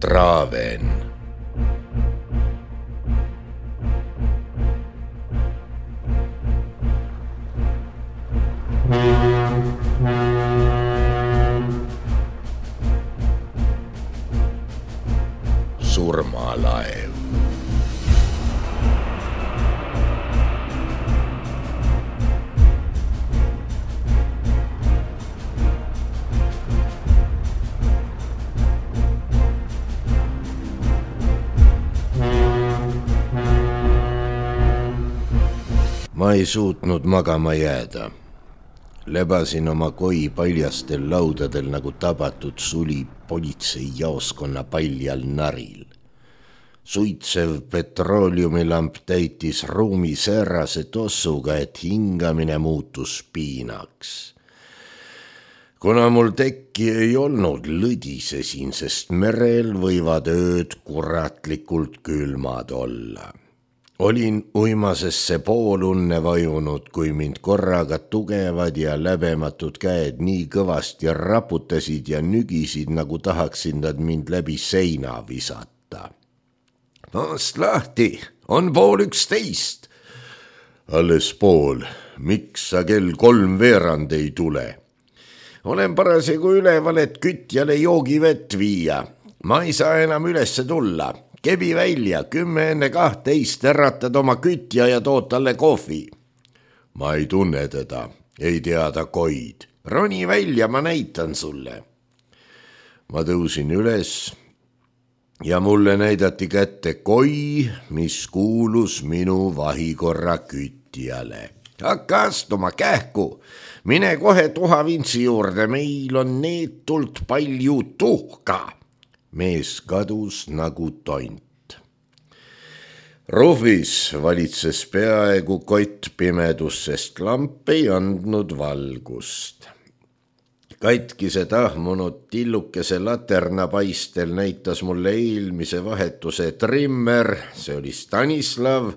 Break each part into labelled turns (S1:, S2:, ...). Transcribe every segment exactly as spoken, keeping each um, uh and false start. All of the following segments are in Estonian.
S1: Traaven. Surmalaev. Ma ei suutnud magama jääda. Lebasin oma koi paljastel laudadel nagu tabatud suli politseijaoskonna paljal naril. Suitsev petrooliumilamp täitis ruumi säärase tossuga, et hingamine muutus piinaks. Kuna mul tekki ei olnud, lõdisesin, sest merel võivad ööd kuratlikult külmad olla. Olin uimasesse poolunne vajunud, kui mind korraga tugevad ja läbematud käed nii kõvasti raputasid ja nügisid, nagu tahaksid nad mind läbi seina visata. Maast lahti, on pool üksteist. Alles pool, miks sa kell kolm veerand ei tule? Olen parasjagu üleval, et kütjale joogivett viia. Ma ei saa enam ülesse tulla. Kebi välja, kümme enne kahtteist äratad oma kütja ja tood talle kohvi. Ma ei tunne teda, ei teada koid. Roni välja, ma näitan sulle. Ma tõusin üles ja mulle näidati kätte koi, mis kuulus minu vahikorra kütjale. Hakka astuma kähku, mine kohe tuhavintsi juurde, meil on neetult palju tuhka. Mees kadus nagu tont. Ruhvis valitses peaaegu kott pimedus, sest lamp ei andnud valgust. Katkise tahmunud tillukese laternapaistel näitas mulle eelmise vahetuse trimmer, see oli Stanislav,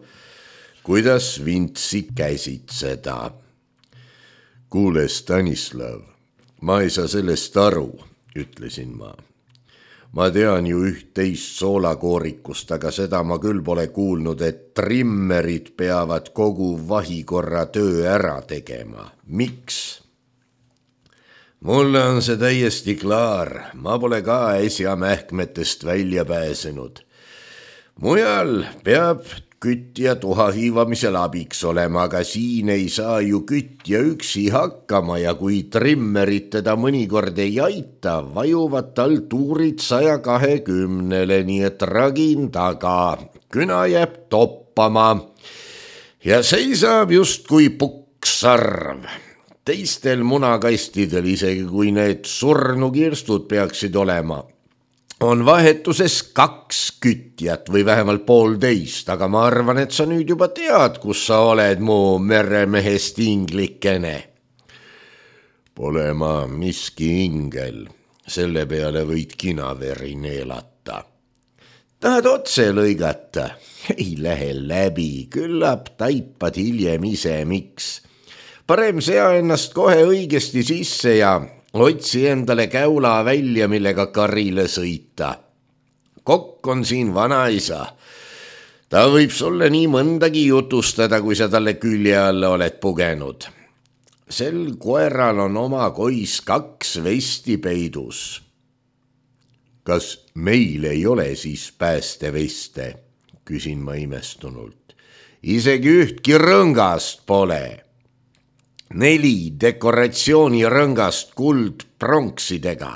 S1: kuidas vintsi käsitseda. Kuule, Stanislav, ma ei saa sellest aru, ütlesin ma. Ma tean ju üht-teist soolakoorikust, aga seda ma küll pole kuulnud, et trimmerid peavad kogu vahikorra töö ära tegema. Miks? Mulle on see täiesti klaar, ma pole ka äsja mähkmetest välja pääsenud. Mujal peab kütja tuha hiivamisel abiks olema, aga siin ei saa ju kütja üksi hakkama ja kui trimmerid teda mõnikord ei aita, vajuvad tal tuurid saja kahekümnele, nii et ragin taga, küna jääb toppama ja seisab just kui puksarv. Teistel munakastidel, isegi kui need surnukirstud peaksid olema, on vahetuses kaks kütjat või vähemalt poolteist, aga ma arvan, et sa nüüd juba tead, kus sa oled, mu meremehest inglikene. Pole ma miski ingel, selle peale võid kinaveri neelata. Tahad otse lõigata? Ei lähe läbi, küllap taipad hiljem ise, miks. Parem sea ennast kohe õigesti sisse ja otsi endale käula välja, millega karile sõita. Kokk on siin vanaisa. Ta võib sulle nii mõndagi jutustada, kui sa talle külje alla oled pugenud. Sel koeral on oma kois kaks vesti peidus. Kas meil ei ole siis päästeveste? Küsin ma imestunult. Isegi ühtki rõngast pole. Neli dekoratsioonirõngast kuld pronksidega.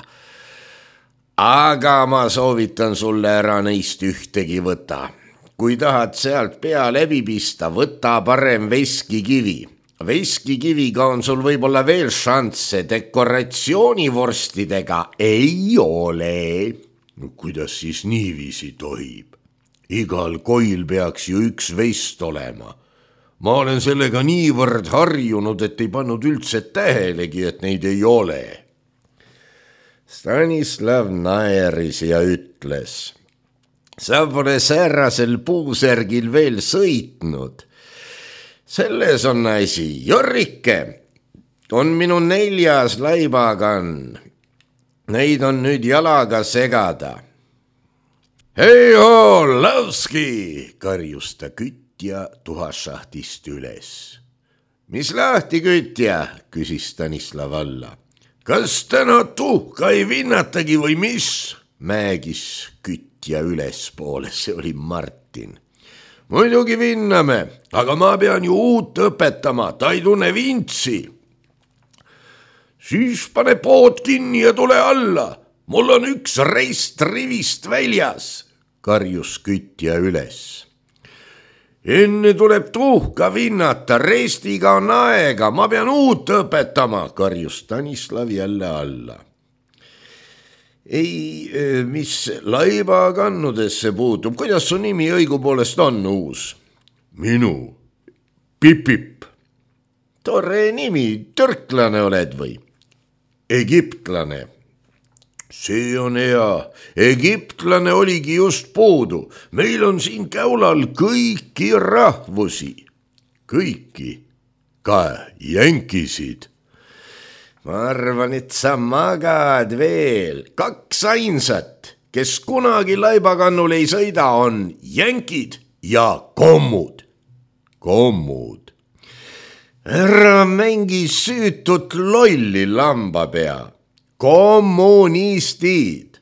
S1: Aga ma soovitan sulle ära neist ühtegi võta. Kui tahad sealt pea läbi pista, võta parem veskikivi. Veskikiviga on sul võib-olla veel šansse, dekoratsioonivorstidega ei ole. No, kuidas siis niiviisi tohib? Igal koil peaks ju üks vest olema. Ma olen sellega niivõrd harjunud, et ei pannud üldse tähelegi, et neid ei ole. Stanislav naeris ja ütles, sa pole säärasel puusärgil veel sõitnud. Selles on asi, Jorrike, on minu neljas laibagann. Neid on nüüd jalaga segada. Hei-hoo, Lavski, karjus ta kütja tuhašahtist üles. Mis lahti, kütja, küsis Stanislav alla. Kas täna tuhka ei vinnatagi või mis? Mägis kütja ülespoole, see oli Martin. Muidugi vinname, aga ma pean ju uut õpetama, ta ei tunne vintsi. Siis pane pood kinni ja tule alla, mul on üks reist rivist väljas, karjus kütja üles. Enne tuleb tuhka vinnata, reestiga on aega, ma pean uut õpetama, karjus Stanislav jälle alla. Ei, mis laiba kannudesse puutub, kuidas su nimi õigupoolest on uus? Minu, Pipip. Tore nimi, türklane oled või? Egiptlane. See on hea, egiptlane oligi just puudu, meil on siin Käulal kõiki rahvusi, kõiki, ka jänkisid. Ma arvan, et sa magad veel, kaks ainsat, kes kunagi laibakannul ei sõida, on jänkid ja kommud. Kommud. Ära mängi süütut lolli lambapea. Kommunistid.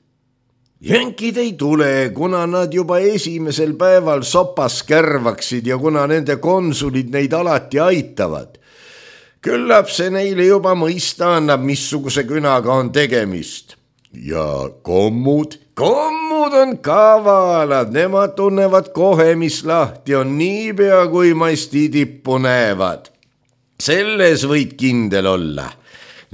S1: Jänkid ei tule, kuna nad juba esimesel päeval sopas kärvaksid ja kuna nende konsulid neid alati aitavad. Küllap see neile juba mõista annab, missuguse künaga on tegemist. Ja kommud? Kommud on kavalad, nemad tunnevad kohe, mis lahti on, niipea kui masti tippu näevad. Selles võid kindel olla.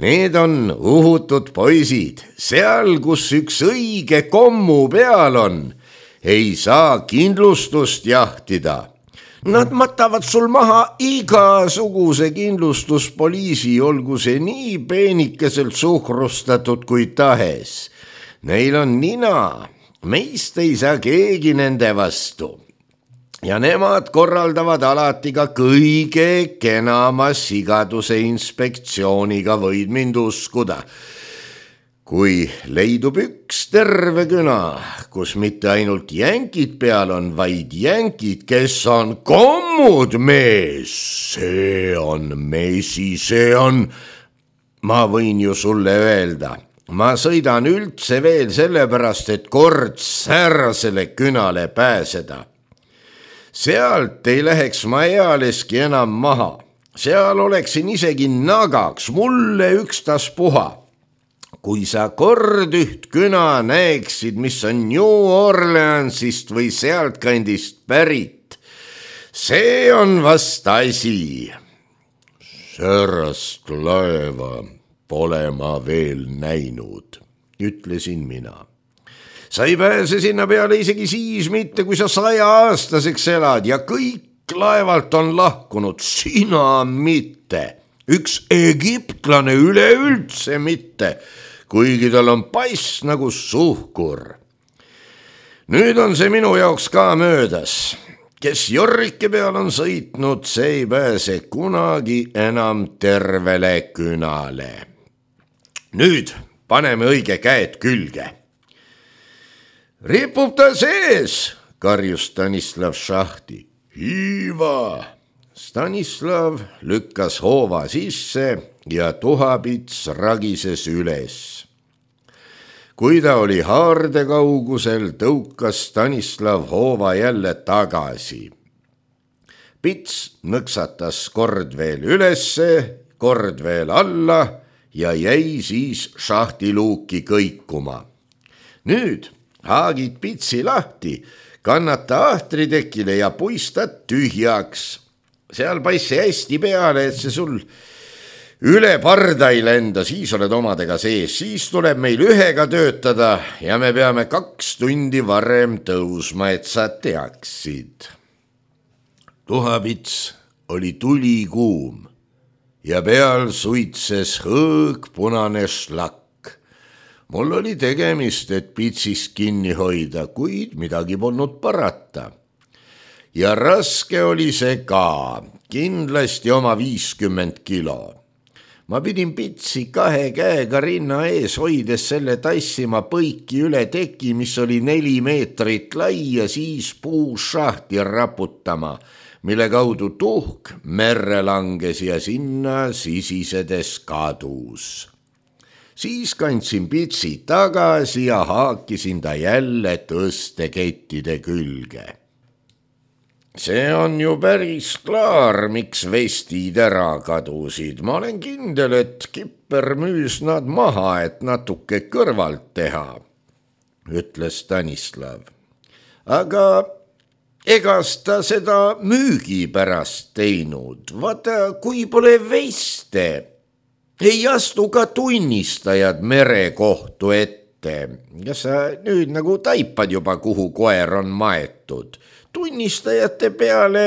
S1: Need on uhutud poisid, seal, kus üks õige kommu peal on, ei saa kindlustust jahtida. Nad matavad sul maha igasuguse kindlustuspoliisi, olgu see nii peenikeselt suhrustatud kui tahes. Neil on nina, meist ei saa keegi nende vastu. Ja nemad korraldavad alati ka kõige kenama sigaduse inspektsiooniga, võid mind uskuda. Kui leidub üks terve küna, kus mitte ainult jänkid peal on, vaid jänkid, kes on kommud, mees, see on mesi, see on, ma võin ju sulle öelda, ma sõidan üldse veel sellepärast, et kord säärasele künale pääseda. Sealt ei läheks ma ealeski enam maha, seal oleksin isegi nagaks, mulle ükstaspuha. Kui sa kord üht küna näeksid, mis on New Orleansist või sealtkandist pärit, see on vast asi. Särast laeva pole ma veel näinud, ütlesin mina. Sa ei pääse sinna peale isegi siis mitte, kui sa saja aastaseks elad ja kõik laevalt on lahkunud, sina mitte. Üks egiptlane üleüldse mitte, kuigi tal on pass nagu suhkur. Nüüd on see minu jaoks ka möödas. Kes jorrike peal on sõitnud, see ei pääse kunagi enam tervele künale. Nüüd paneme õige käed külge. Ripub ta sees, karjus Stanislav šahti. Hiiva! Stanislav lükkas hoova sisse ja tuhapits ragises üles. Kui ta oli haarde kaugusel, tõukas Stanislav hoova jälle tagasi. Pits nõksatas kord veel ülesse, kord veel alla ja jäi siis šahtiluuki kõikuma. Nüüd haagid pitsi lahti, kannata ahtritekile ja puistad tühjaks. Seal paissi hästi peale, et see sul üle parda ei lenda, siis oled omadega sees, siis tuleb meil ühega töötada ja me peame kaks tundi varem tõusma, et sa teaksid. Tuhapits oli tulikuum ja peal suitses hõõg punane šlakk. Mul oli tegemist, et pitsist kinni hoida, kuid midagi polnud parata. Ja raske oli see ka, kindlasti oma viiskümmend kilo. ma pidin Pitsi kahe käega rinna ees hoides selle tassima põiki üle teki, mis oli neli meetrit lai ja siis puušahti raputama, mille kaudu tuhk merre langes ja sinna sisisedes kadus. Siis kandsin Pitsi tagasi ja haakisin ta jälle tõstekettide külge. See on ju päris klaar, miks vestid ära kadusid. Ma olen kindel, et Kipper müüs nad maha, et natuke kõrvalt teha, ütles Stanislav. Aga egas ta seda müügi pärast teinud. Vaata, kui pole veste, ei astu ka tunnistajad merekohtu ette. Ja sa nüüd nagu taipad juba, kuhu koer on maetud. Tunnistajate peale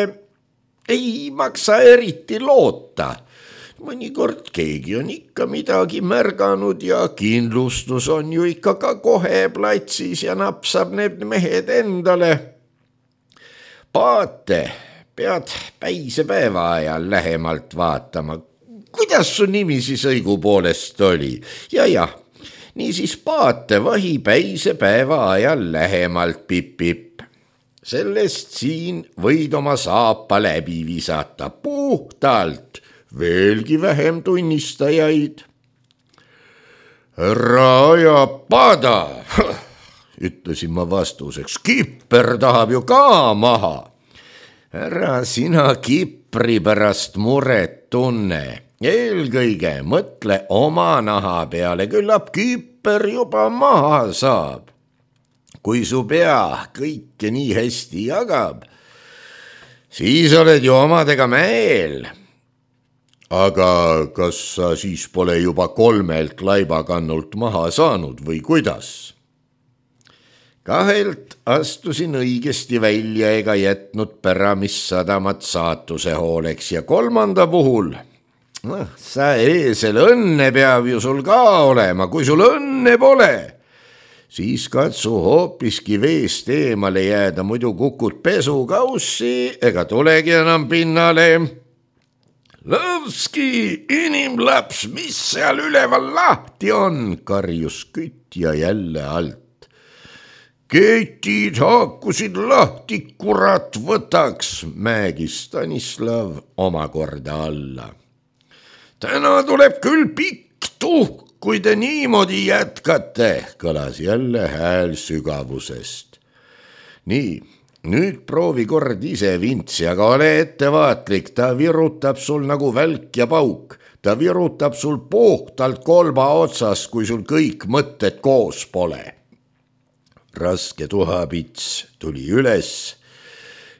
S1: ei maksa eriti loota. Mõnikord keegi on ikka midagi märganud ja kindlustus on ju ikka ka kohe platsis ja napsab need mehed endale. Paate pead päisepäeva ajal lähemalt vaatama. Kuidas su nimi siis õigupoolest oli? Ja jah, niisiis Paate vahi päisepäeva ajal lähemalt pip-pip. Sellest siin võid oma saapa läbi visata puhtalt, veelgi vähem tunnistajaid. Ära aja pada, ütlesin ma vastuseks, Kipper tahab ju ka maha. Ära sina Kipri pärast muret tunne, eelkõige mõtle oma naha peale, küllap Kipper juba maha saab. Kui su pea kõike nii hästi jagab, siis oled ju omadega mäel. Aga kas sa siis pole juba kolmelt laibakannult maha saanud või kuidas? Kahelt astusin õigesti välja ega jätnud Päramisadamat saatuse hooleks ja kolmanda puhul, no, sa eesel, õnne peab ju sul ka olema, kui sul õnne pole, siis katsu hoopiski veest eemale jääda, muidu kukud pesukaussi ega tulegi enam pinnale. Lõvski, inimlaps, mis seal üleval lahti on, karjus kütja jälle alt. Ketid haakusid lahti, kurat võtaks, mägis Stanislav omakorda alla. Täna tuleb küll pikk tuhk, kui te niimoodi jätkate, kõlas jälle hääl sügavusest. Nii, nüüd proovi kord ise vintsi, aga ole ettevaatlik, ta virutab sul nagu välk ja pauk. Ta virutab sul puhtalt kolba otsast, kui sul kõik mõtted koos pole. Raske tuhapits tuli üles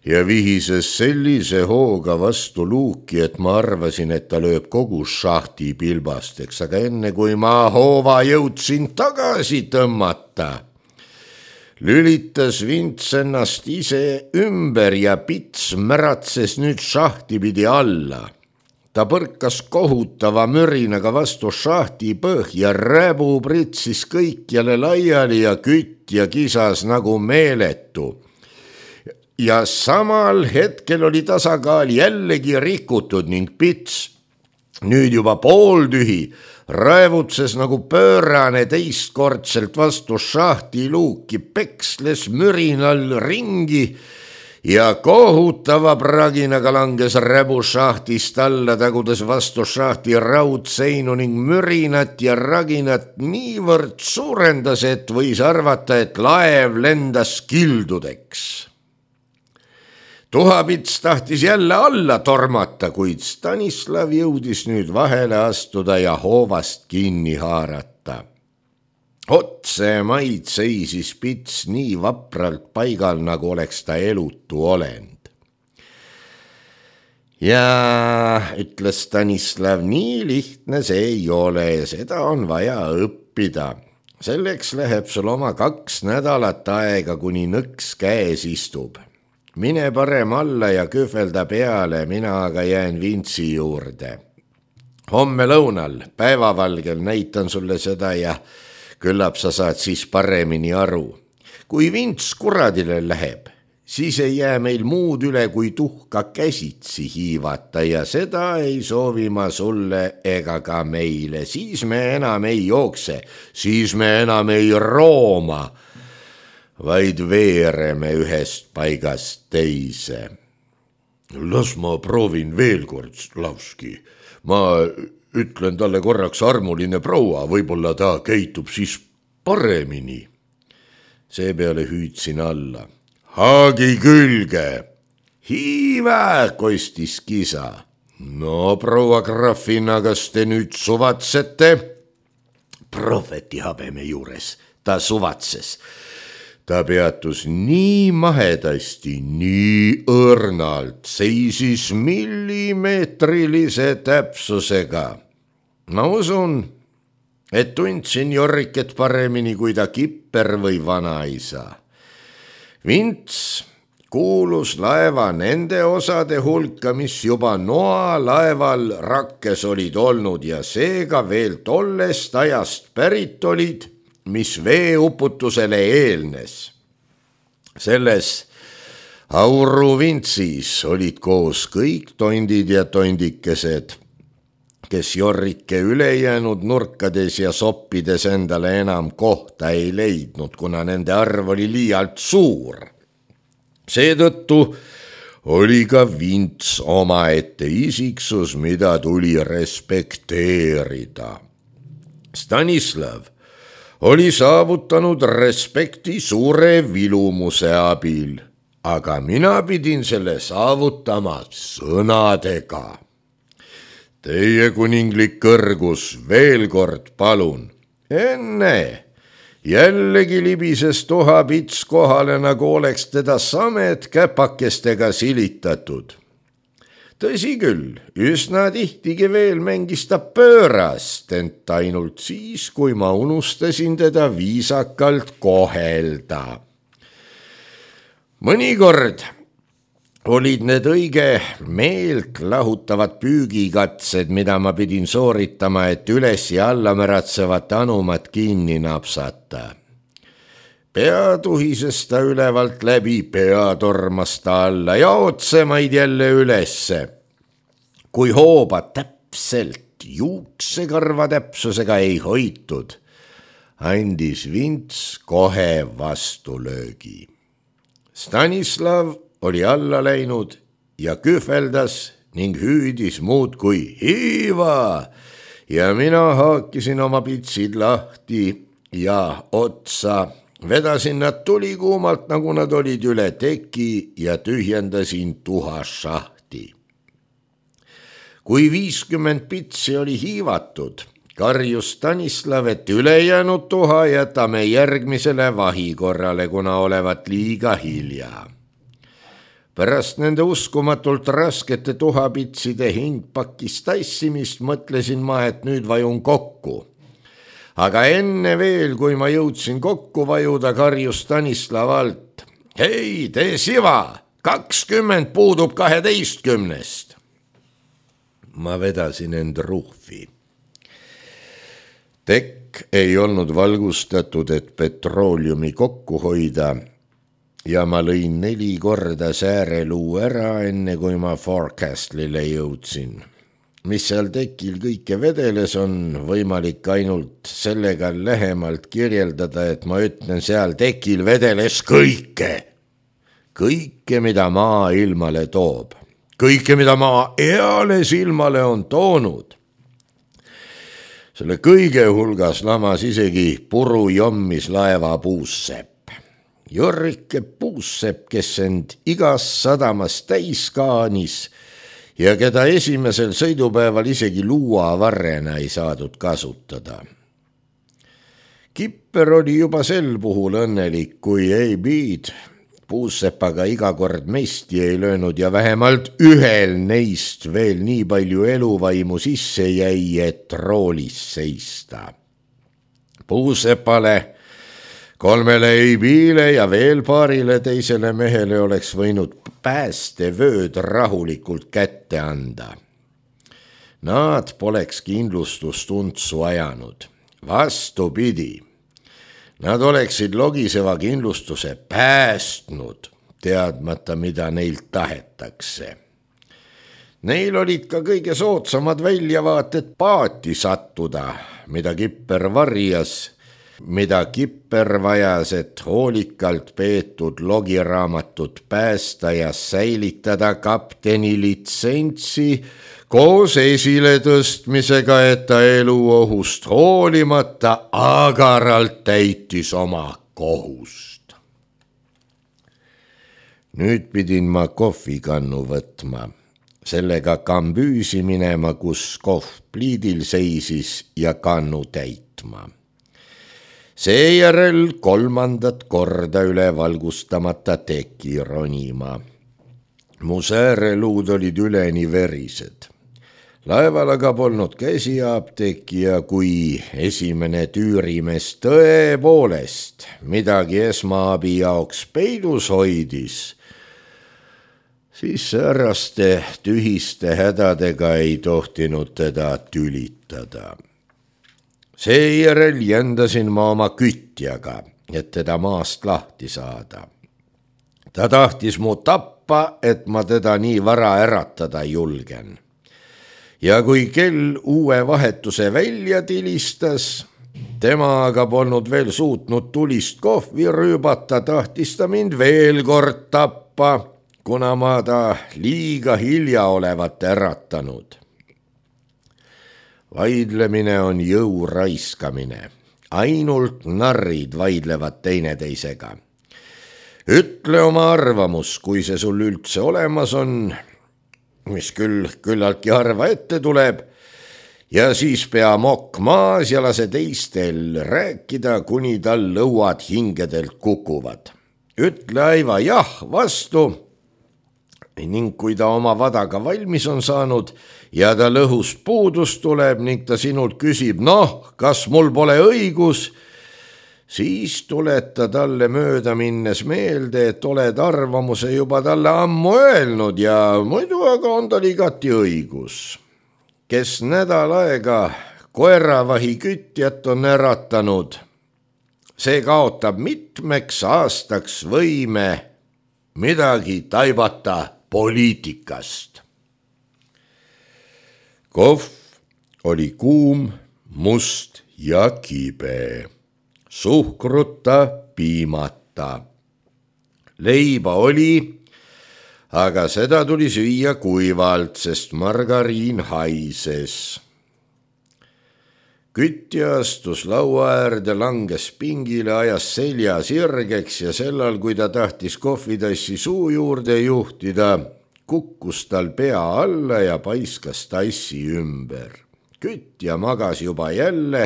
S1: ja vihises sellise hooga vastu luuki, et ma arvasin, et ta lööb kogu šahti pilbasteks, aga enne kui ma hoova jõudsin tagasi tõmmata, lülitas vints ennast ise ümber ja pits märatses nüüd šahti pidi alla. Ta põrkas kohutava mürinaga vastu šahti põhja, räbu pritsis kõikjale laiali ja kütja kisas nagu meeletu. Ja samal hetkel oli tasakaal jällegi rikutud ning pits, nüüd juba pooltühi, raevutses nagu pöörane teistkordselt vastu šahti luuki, peksles mürinal ringi ja kohutava praginaga langes räbu šahtist alla, tagudes vastu šahti raudseinu ning mürinat ja raginat niivõrd suurendas, et võis arvata, et laev lendas kildudeks. Tuhapits tahtis jälle alla tormata, kuid Stanislav jõudis nüüd vahele astuda ja hoovast kinni haarata. Otse maid seisis pits nii vapralt paigal, nagu oleks ta elutu olend. Ja ütles Stanislav, nii lihtne see ei ole ja seda on vaja õppida. Selleks läheb sul oma kaks nädalat aega, kuni nõks käes istub. Mine parem alla ja kühvelda peale, mina aga jään vintsi juurde. Homme lõunal, päevavalgel näitan sulle seda ja küllap sa saad siis paremini aru. Kui vints kuradile läheb, siis ei jää meil muud üle, kui tuhka käsitsi hiivata ja seda ei soovi ma sulle ega ka meile. Siis me enam ei jookse, siis me enam ei rooma, vaid veereme ühest paigast teise. Las ma proovin veel kord, Slavski. Ma ütlen talle korraks armuline proua, võib-olla ta käitub siis paremini. Seepeale hüüdsin alla. Haagi külge! Hiiva, kostis kisa. No, proua grafina, kas te nüüd suvatsete? Prohveti habeme juures, ta suvatses. Ta peatus nii mahedasti, nii õrnalt, seisis millimeetrilise täpsusega. Ma usun, et tundsin Jorriket paremini kui ta kipper või vanaisa. Vints kuulus laeva nende osade hulka, mis juba noa laeval rakkes olid olnud ja seega veel tollest ajast pärit olid, mis veeuputusele eelnes. Selles auruvintsis olid koos kõik tondid ja tondikesed, kes Jorrike ülejäänud nurkades ja soppides endale enam kohta ei leidnud, kuna nende arv oli liialt suur. Seetõttu oli ka Vints omaette isiksus, mida tuli respekteerida. Stanislav oli saavutanud respekti suure vilumuse abil, aga mina pidin selle saavutama sõnadega. Teie kuninglik kõrgus, veel kord palun. Enne jällegi libises tuhapits kohale, nagu oleks teda samed käpakestega silitatud. Tõsi küll, üsna tihtigi veel mängis ta pöörast, ent ainult siis, kui ma unustasin teda viisakalt kohelda. Mõnikord olid need õige meelt lahutavad püügikatsed, mida ma pidin sooritama, et üles ja alla märatsevat anumat kinni napsata. Pea tuhises ta ülevalt läbi, pea tormas ta alla ja otsemaid jälle ülesse. Kui hooba täpselt juuksekarva täpsusega ei hoitud, andis Vints kohe vastulöögi. Stanislav oli alla läinud ja kühveldas ning hüüdis muud kui hiiva ja mina haakisin oma pitsid lahti ja otsa. Vedasin nad tulikuumalt, nagu nad olid üle teki ja tühjendasin tuhashahti. Kui viiskümmend pitsi oli hiivatud, karjus Stanislav, et ülejäänud tuha jätame järgmisele vahikorrale, kuna olevat liiga hilja. Pärast nende uskumatult raskete tuhapitside hingpakis tassimist mõtlesin ma, et nüüd vajun kokku. Aga enne veel, kui ma jõudsin kokku vajuda, karjus Stanislav alt. Hei, tee siva, kakskümmend puudub kaheteistkümnest. Ma vedasin end ruhvi. Tekk ei olnud valgustatud, et petrooliumi kokku hoida ja ma lõin neli korda sääreluu ära, enne kui ma forecastlile jõudsin. Mis seal tekil kõike vedeles, on võimalik ainult sellega lähemalt kirjeldada, et ma ütlen, seal tekil vedeles kõike. Kõike, mida maa ilmale toob. Kõike, mida maa eales ilmale on toonud. Selle kõige hulgas lamas isegi puru jommis laeva puussepp. Jorrike puussepp, kes end igas sadamas täis kaanis ja keda esimesel sõidupäeval isegi luuavarrena ei saadud kasutada. Kipper oli juba sel puhul õnnelik, kui ei biid puussepaga iga kord mesti ei löönud ja vähemalt ühel neist veel nii palju eluvaimu sisse jäi, et roolis seista. Puussepale, kolmele eibiile ja veel paarile teisele mehele oleks võinud päästevööd rahulikult kätte anda. Nad poleks kindlustustuntsu ajanud. Vastupidi, nad oleksid logiseva kindlustuse päästnud. teadmata, mida neilt tahetakse. Neil olid ka kõige soodsamad väljavaated paati sattuda, mida Kipper varjas, mida Kipper vajas, et hoolikalt peetud logiraamatut päästa ja säilitada kapteni litsentsi koos esiletõstmisega, et ta eluohust hoolimata agaralt täitis oma kohust. Nüüd pidin ma kohvikannu võtma, sellega kambüüsi minema, kus kohv pliidil seisis ja kannu täitma. Seejärel kolmandat korda üle valgustamata teki ronima. Mu sääreluud olid üleni verised. Laeval aga polnud käsiapteeki ja kui esimene tüürimees tõepoolest midagi esmaabi jaoks peidus hoidis, siis sääraste tühiste hädadega ei tohtinud teda tülitada. Seejärel jändasin ma oma kütjaga, et teda maast lahti saada. Ta tahtis mu tappa, et ma teda nii vara äratada julgen. Ja kui kell uue vahetuse välja tilistas, tema aga polnud veel suutnud tulist kohvi rüübata, tahtis ta mind veel kord tappa, kuna ma ta liiga hilja olevat äratanud. Vaidlemine on jõu raiskamine. Ainult narrid vaidlevad teineteisega. Ütle oma arvamus, kui see sul üldse olemas on, mis küll küllaltki harva ette tuleb, ja siis pea mokk maas ja lase teistel rääkida, kuni tal lõuad hingedelt kukuvad. Ütle aiva jah vastu, ning kui ta oma vadaga valmis on saanud ja ta lõhust puudus tuleb ning ta sinult küsib, noh, kas mul pole õigus, siis tuleta talle mööda minnes meelde, et oled arvamuse juba talle ammu öelnud ja muidu aga on tal igati õigus. Kes nädal aega koeravahi kütjat on äratanud, see kaotab mitmeks aastaks võime midagi taibata poliitikast. Kohv oli kuum, must ja kibe, suhkruta, piimata. Leiba oli, aga seda tuli süüa kuivalt, sest margariin haises. Kütja astus laua äärde, langes pingile, ajas selja sirgeks ja sellal, kui ta tahtis kohvitassi suu juurde juhtida, kukkus tal pea alla ja paiskas tassi ümber. Kütja magas juba jälle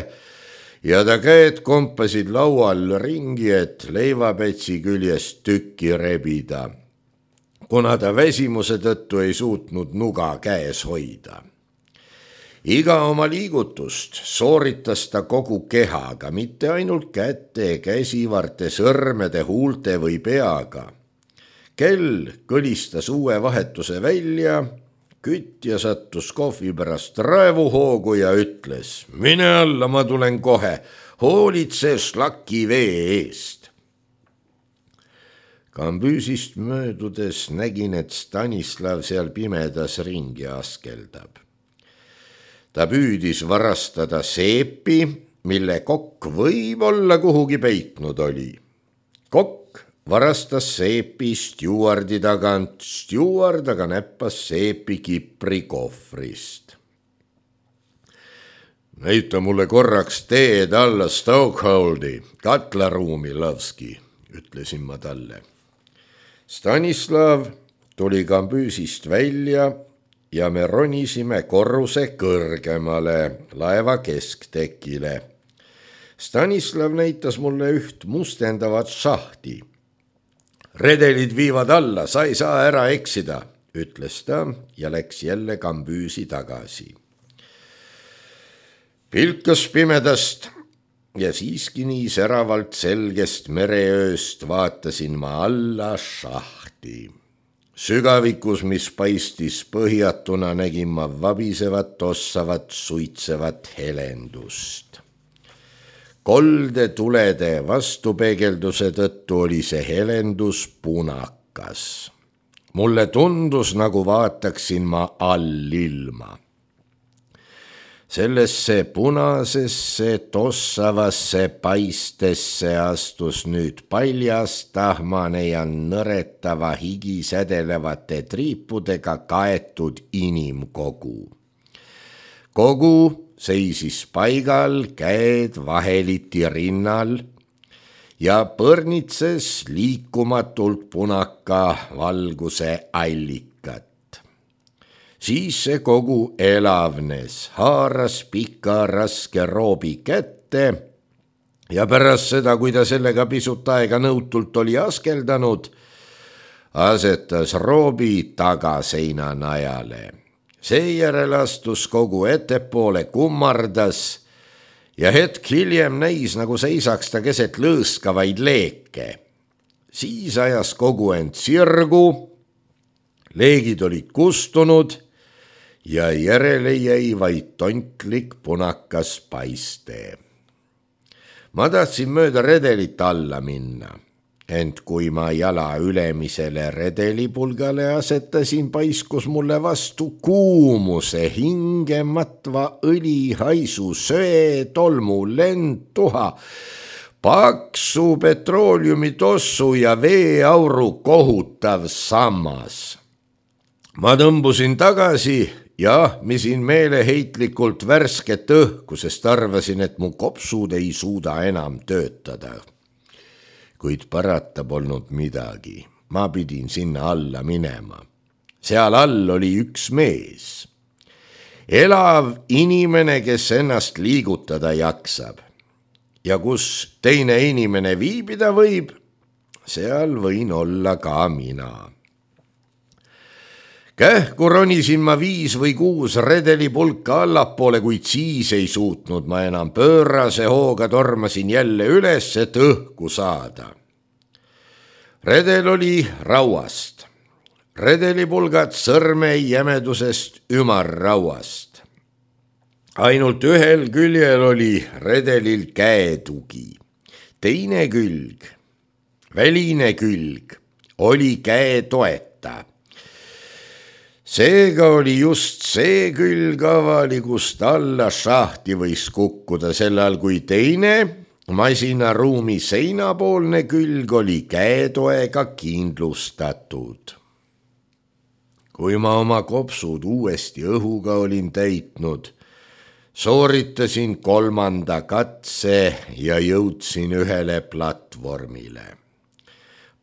S1: ja ta käed kompasid laual ringi, et leivapätsi küljest tükki rebida, kuna ta väsimuse tõttu ei suutnud nuga käes hoida. Iga oma liigutust sooritas ta kogu kehaga, mitte ainult käte, käsivarte, sõrmede, huulte või peaga. Kell kõlistas uue vahetuse välja, kütja sattus kohvi pärast raevuhoogu ja ütles, mine alla, ma tulen kohe, hoolitse šlaki vee eest. Kambüüsist möödudes nägin, et Stanislav seal pimedas ringi askeldab. Ta püüdis varastada seepi, mille kokk võib-olla kuhugi peitnud oli. Kokk varastas seepi stjuardi tagant, stjuard aga näppas seepi Kipri kohvrist. Näita mulle korraks teed alla Stokeholdi, katlaruumi, Lovski, ütlesin ma talle. Stanislav tuli kambüüsist välja ja me ronisime korruse kõrgemale laeva kesktekile. Stanislav näitas mulle üht mustendavat šahti. Redelid viivad alla, sa ei saa ära eksida, ütles ta ja läks jälle kambüüsi tagasi. Pilkas pimedast ja siiski nii säravalt selgest mereööst vaatasin ma alla šahti. Sügavikus, mis paistis põhjatuna, nägin ma vabisevat, tossavat, suitsevat helendust. Kolde tulede vastupeegelduse tõttu oli see helendus punak. punakas. Mulle tundus, nagu vaataksin ma allilma. Sellesse punasesse tossavasse paistesse astus nüüd paljas, tahmane ja nõretava higi sädelevate triipudega kaetud inimkogu. Kogu seisis paigal, käed vaheliti rinnal ja põrnitses liikumatult punaka valguse allikat. Siis see kogu elavnes, haaras pika raske roobi kätte ja pärast seda, kui ta sellega pisut aega nõutult oli askeldanud, asetas roobi tagaseina najale. Seejärel astus kogu ettepoole, kummardas ja hetk hiljem näis, nagu seisaks ta keset lõõskavaid leeke. Siis ajas kogu end sirgu, leegid olid kustunud ja järele jäi vaid tontlik punakas paiste. Ma tahtsin mööda redelit alla minna, ent kui ma jala ülemisele redelipulgale asetasin, paiskus mulle vastu kuumuse, hingematva õlihaisu, söe, tolmu, lendtuha, paksu petrooliumi tossu ja veeauru kohutav sammas. Ma tõmbusin tagasi ja misin meeleheitlikult värsket õhku, sest arvasin, et mu kopsud ei suuda enam töötada. Kuid parata polnud midagi. Ma pidin sinna alla minema. Seal all oli üks mees. Elav inimene, kes ennast liigutada jaksab. Ja kus teine inimene viibida võib, seal võin olla ka mina. Kähku ronisin ma viis või kuus redelipulka allapoole, kuid siis ei suutnud ma enam. Pöörase hooga tormasin jälle üles, et õhku saada. Redel oli rauast. Redelipulgad sõrme jämedusest ümarrauast. Ainult ühel küljel oli redelil käetugi. Teine külg, väline külg, oli käetoeta. Seega oli just see külg avali, kust alla šahti võis kukkuda, sellal kui teine masinaruumi seinapoolne külg oli käetoega kindlustatud. Kui ma oma kopsud uuesti õhuga olin täitnud, sooritasin kolmanda katse ja jõudsin ühele platvormile.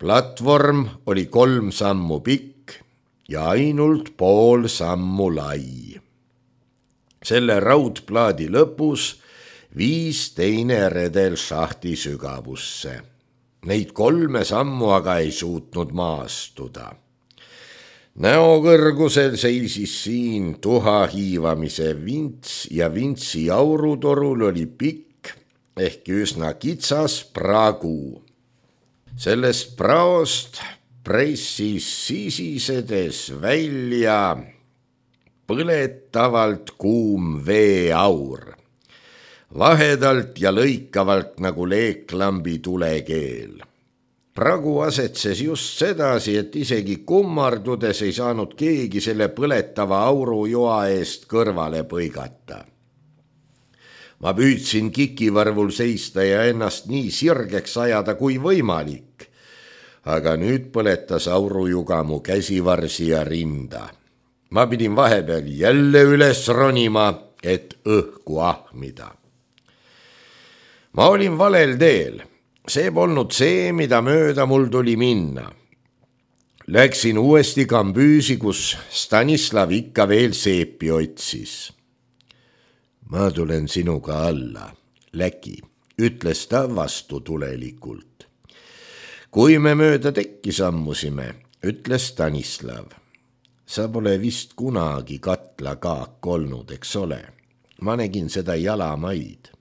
S1: Platvorm oli kolm sammu pikk ja ainult pool sammu lai. Selle raudplaadi lõpus viis teine redel šahti sügavusse. Neid kolme sammu aga ei suutnud maastuda. Näokõrgusel seisis siin tuha hiivamise vints ja vintsi aurutorul oli pikk ehk üsna kitsas pragu. Sellest praost pressis sisisedes välja põletavalt kuum veeaur, vahedalt ja lõikavalt nagu leeklambi tulekeel. Pragu asetses just sedasi, et isegi kummardudes ei saanud keegi selle põletava auru joa eest kõrvale põigata. Ma püüdsin kikivarvul seista ja ennast nii sirgeks ajada kui võimalik, aga nüüd põletas aurujuga mu käsivarsi ja rinda. Ma pidin vahepeal jälle üles ronima, et õhku ahmida. Ma olin valel teel. See polnud see, mida mööda mul tuli minna. Läksin uuesti kambüüsi, kus Stanislav ikka veel seepi otsis. Ma tulen sinuga alla, Läki, ütles ta vastutulelikult. Kui me mööda tekki sammusime, ütles Stanislav. Sa pole vist kunagi katlakaak olnud, eks ole. Ma nägin seda jalamaid.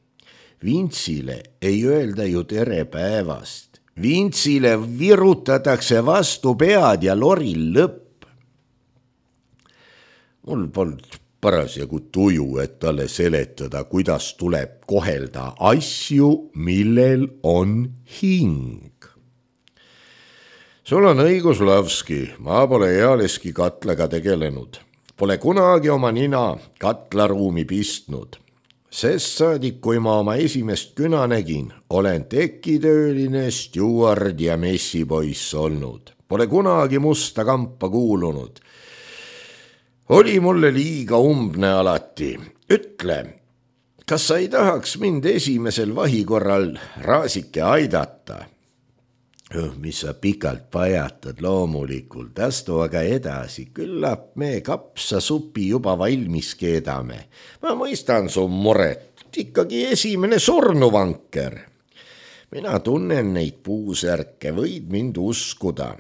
S1: Vintsile ei öelda ju tere päevast. Vintsile virutatakse vastu pead ja loril lõpp. Mul polnud parasjagu tuju, et talle seletada, kuidas tuleb kohelda asju, millel on hing. sul on õigus, Lavski, ma pole ealeski katlaga tegelenud. Pole kunagi oma nina katlaruumi pistnud. Sest saadik, kui ma oma esimest küna nägin, olen tekitööline, stjuard ja messipoiss olnud. Pole kunagi musta kampa kuulunud. Oli mulle liiga umbne alati. Ütle, kas sa ei tahaks mind esimesel vahikorral raasike aidata? Mis sa pikalt pajatad, loomulikult, astu aga edasi, küllap me kapsasupi juba valmis keedame. Ma mõistan su muret, ikkagi esimene surnuvanker. Mina tunnen neid puusärke, võid mind uskuda.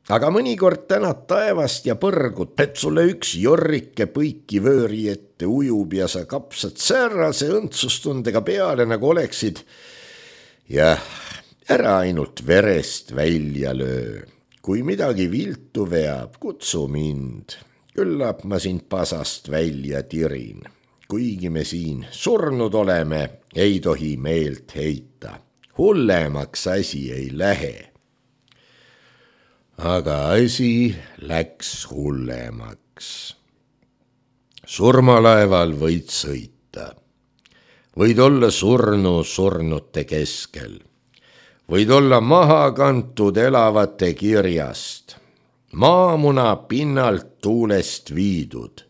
S1: Aga mõnikord tänad taevast ja põrgud, et sulle üks jorrike põiki vööri ette ujub ja sa kapsad säärase õndsustundega peale, nagu oleksid. Jah, ära ainult verest välja löö. Kui midagi viltu veab, kutsu mind. Küllap ma sind pasast välja tirin. Kuigi me siin surnud oleme, ei tohi meelt heita. Hullemaks asi ei lähe. Aga asi läks hullemaks. Surmalaeval võid sõita. Võid olla surnu surnute keskel. Võid olla maha kantud elavate kirjast. Maamuna pinnalt tuulest viidud.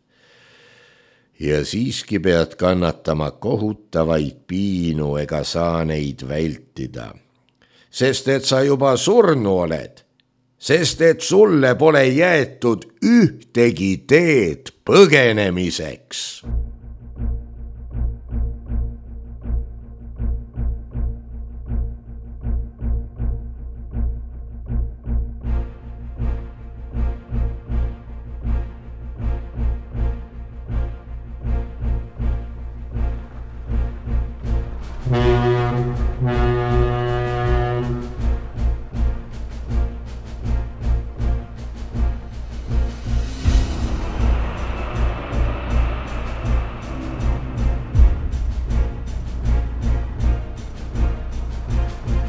S1: Ja siiski pead kannatama kohutavaid piinu ega saa neid vältida. Sest et sa juba surnu oled. Sest et sulle pole jäetud ühtegi teed põgenemiseks.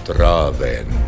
S1: Traven.